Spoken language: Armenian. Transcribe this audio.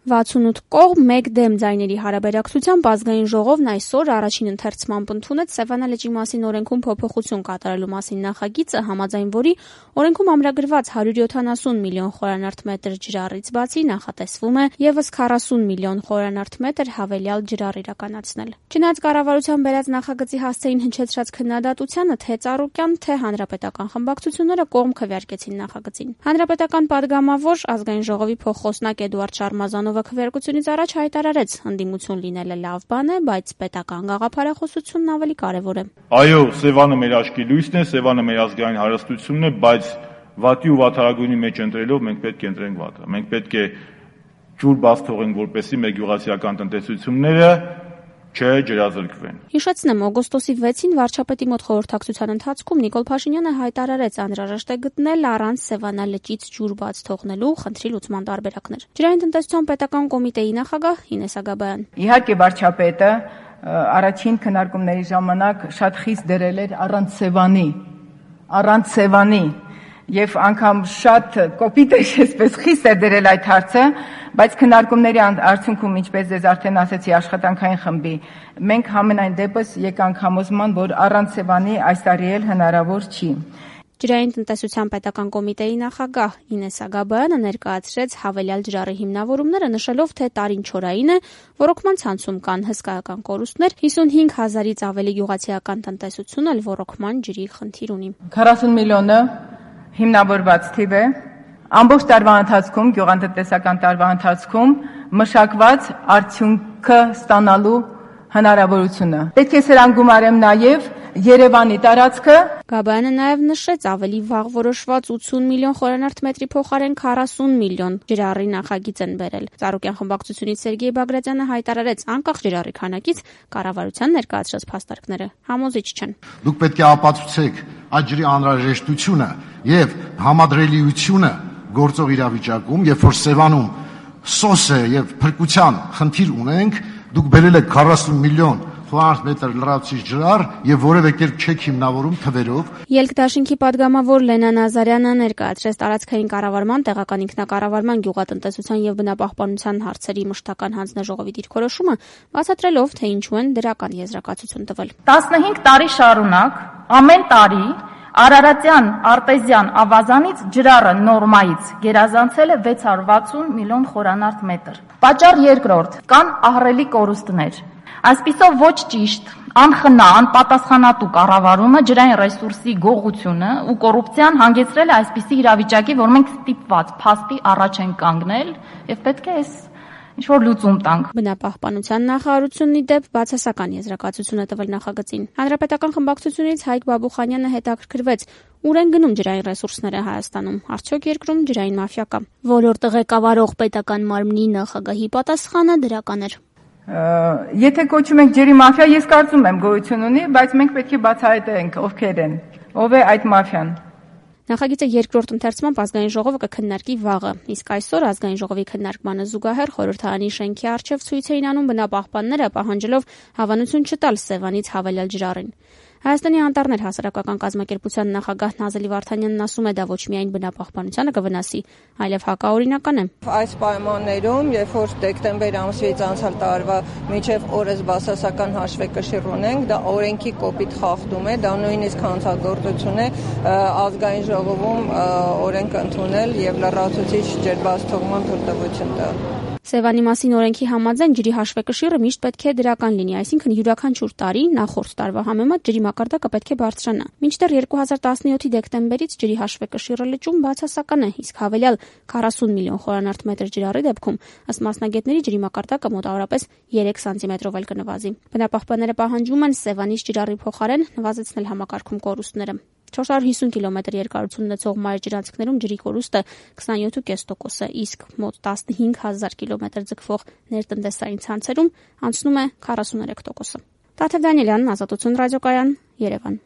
68 կողմ 1 դեմ ձայների հարաբերակցությամբ ազգային ժողովն այսօր առաջին ընթերցմամբ ընդունեց Սևանա լճի մասին օրենքում փոփոխություն կատարելու մասին նախագիծը, համաձայն որի օրենքում ամրագրված 170 միլիոն խորանարդ մետր ջրառից բացի նախատեսվում է եւս 40 միլիոն խորանարդ մետր հավելյալ ջրառ իրականացնել։ Չնայած կառավարության բերած նախագծի հասցեին հնչեցրած քննադատությանը, թե Ծառուկյան, թե հանրապետական խմբակցությունները կողմ քվեարկեցին նախագծին։ Հանրապետական падգամավոր ազգային ժողովի փոխխոսնակ Էդուարդ Շարմազանովը քվեարկությունից առաջ հայտարարեց, ընդդիմություն լինելը լավ բան է, բայց պետական գաղափարախոսությունն ավելի կարևոր է։ Այո, Սևանը մեր աչքի լույսն է, Սևանը մեր ազգային հարստությունն է, բայց վատի ու վատարագույնի մեջ ընտրելով մենք պետք է ընտրենք վատը։ Մենք պետք է ջուր բաց թողենք, որպեսզի մեր գյուղացիական տնտեսությունները չջրազրկվեն։ Հիշեցնեմ, օգոստոսի 6-ին վարչապետի մոտ խորհրդակցության ընթացքում Նիկոլ Փաշինյանը հայտարարեց, անհրաժեշտ է գտնել առանց Սևանա լճից ջուր բաց թողնելու խնդրի լուծման տարբերակներ։ Ջրային տնտեսության պետական կոմիտեի նախագահ Ինես Ագաբայան։ Իհարկե վարչապետը առաջին քննարկումների ժամանակ շատ խիստ դրել էր առանց Սևանի եւ անգամ շատ կոպիտ է, այսպես խիստ է դրել այդ հարցը, բայց քննարկումների արդյունքում, ինչպես ես արդեն ասեցի, աշխատանքային խմբի մենք համենայն դեպս եկանք համոզման, որ առանց Սևանի այս տարի էլ հնարավոր չի։ Ջրային տնտեսության պետական կոմիտեի նախագահ Ինես Ագաբայանը ներկայացրեց հավելյալ ջրառի հիմնավորումները, նշելով, թե տարին չորային է, ոռոգման ցանցում կան հսկայական կորուստներ, 55 հազարից ավելի գյուղացիական տնտեսություն էլ ոռոգման ջրի խնդիր ունի։ 40 միլիոնը հիմնավորված թիվ է, ամբողջ տարվա ընթացքում, գյուղատնտեսական տարվա ընթացքում մշակված արդյունքը ստանալու հնարավորությունը։ Պետք է սրան գումարեմ նաև Երևանի տարածքը։ Գաբայանը նաև նշեց, ավելի վաղ որոշված 80 միլիոն խորանարդ մետրի փոխարեն 40 միլիոն ջրառի նախագիծ են բերել։ Ծառուկյան խմբակցությունից Սերգեյ Բագրատյանը հայտարարեց, անկախ ջրառի քանակից կառավարության ներկայացրած փաստարկները համոզիչ չեն։ Դուք պետք է ապացուցեք այդ ջրի անհրաժեշտությունը եւ համադրելիությունը գործող իրավիճակում, երբ որ Սևանում սոս է եւ փրկության խնդիր ունենք, դուք բերել եք 40 միլիոն խորանարդ մետր լրացուցիչ ջրառ եւ որևէ կերպ չեք հիմնավորում թվերով։ Ելք-դաշինքի падգամավոր Լենա Նազարյանը ներկայացրեց տարածքային կառավարման, տեղական ինքնակառավարման, գյուղատնտեսության եւ բնապահպանության հարցերի մշտական հանձնաժողովի դիրքորոշումը, բացատրելով, թե ինչու են դրական եզրակացություն տվել։ 15 տարի շարունակ ամեն տարի Արարատյան արտեզյան ավազանից ջրառը նորմայից գերազանցել է 660 միլիոն խորանարդ մետր։ Պատճառ երկրորդ, կան ահռելի կորուստներ։ Այսպիսով ոչ ճիշտ, անխնա, անպատասխանատու կառավարումը ջրային ռեսուրսի գողությունը ու կոռուպցիան հանգեցրել է այսպիսի իրավիճակի, որ մենք ստիպված փաստի առաջ ենք կանգնել եւ պետք է ինչ-որ լուծում տանք։ Բնապահպանության նախարարությունն ի դեպ բացասական եզրակացություն է տվել նախագծին։ Հանրապետական խմբակցությունից Հայկ Բաբուխանյանը հետաքրքրվեց, ուր են գնում ջրային ռեսուրսները Հայաստանում, արդյոք երկրում ջրային մաֆիա կա։ Ոլորտը ղեկավարող պետական մարմնի նախագահի պատասխանը դրական էր։ Եթե կոչում ենք ջրի մաֆիա, ես կարծում եմ գոյություն ունի, բայց մենք պետք է բացահայտենք ովքեր են, ով է այդ մաֆիան։ Նախագիծը երկրորդ ընթերցմամբ ազգային ժողովը կքննարկի վաղը, իսկ այսօր ազգային ժողովի քննարկմանը զուգահեռ խորհրդարանի շենքի առջև ցույց էին անում բնապահպանները, պահանջելով հավանություն չտալ Սևանից հավելյալ ջրառին։ Հայաստանի անտառներ հասարակական կազմակերպության նախագահ Նազելի Վարդանյանն ասում է, դա ոչ միայն բնապահպանությանը կվնասի, այլև հակաօրինական է։ Այս պայմաններում, երբ որ դեկտեմբեր ամսից անցյալ տարվա մինչև օրս բացասական հաշվեկշիռ ունենք, դա օրենքի կոպիտ խախտում է, դա նույնիսկ հանցագործություն է ազգային ժողովում օրենք ընդունել եւ լրացուցիչ ջրբացթողման թույլտվություն տալ։ Սևանի մասին օրենքի համաձայն ջրի հաշվեկշիռը միշտ պետք է դրական լինի, այսինքն յուրաքանչյուր տարի նախորդ տարվա համեմատ ջրի մակարդակը պետք է բարձրանա։ Մինչդեռ 2017-ի դեկտեմբերից ջրի հաշվեկշիռը լճում բացասական է, իսկ հավելյալ 40 միլիոն խորանարդ մետր ջրառի դեպքում, ըստ մասնագետների, ջրի մակարդակը մոտավորապես 3 սանտիմետրով էլ կնվազի։ Բնապահպանները պահանջում են Սևանից ջրառի փոխարեն նվազեցնել համակարգում կորուստները։ 450 կիլոմետր երկարություն ունեցող մայր ջրանցքներում ջրի կորուստը 27.5% է, իսկ մոտ 15,000 կիլոմետր ձգվող ներտնտեսային ցանցերում անցնում է 43%։ Տաթև Դանիելյան, Ազատություն ռադիոկայան, Երևան։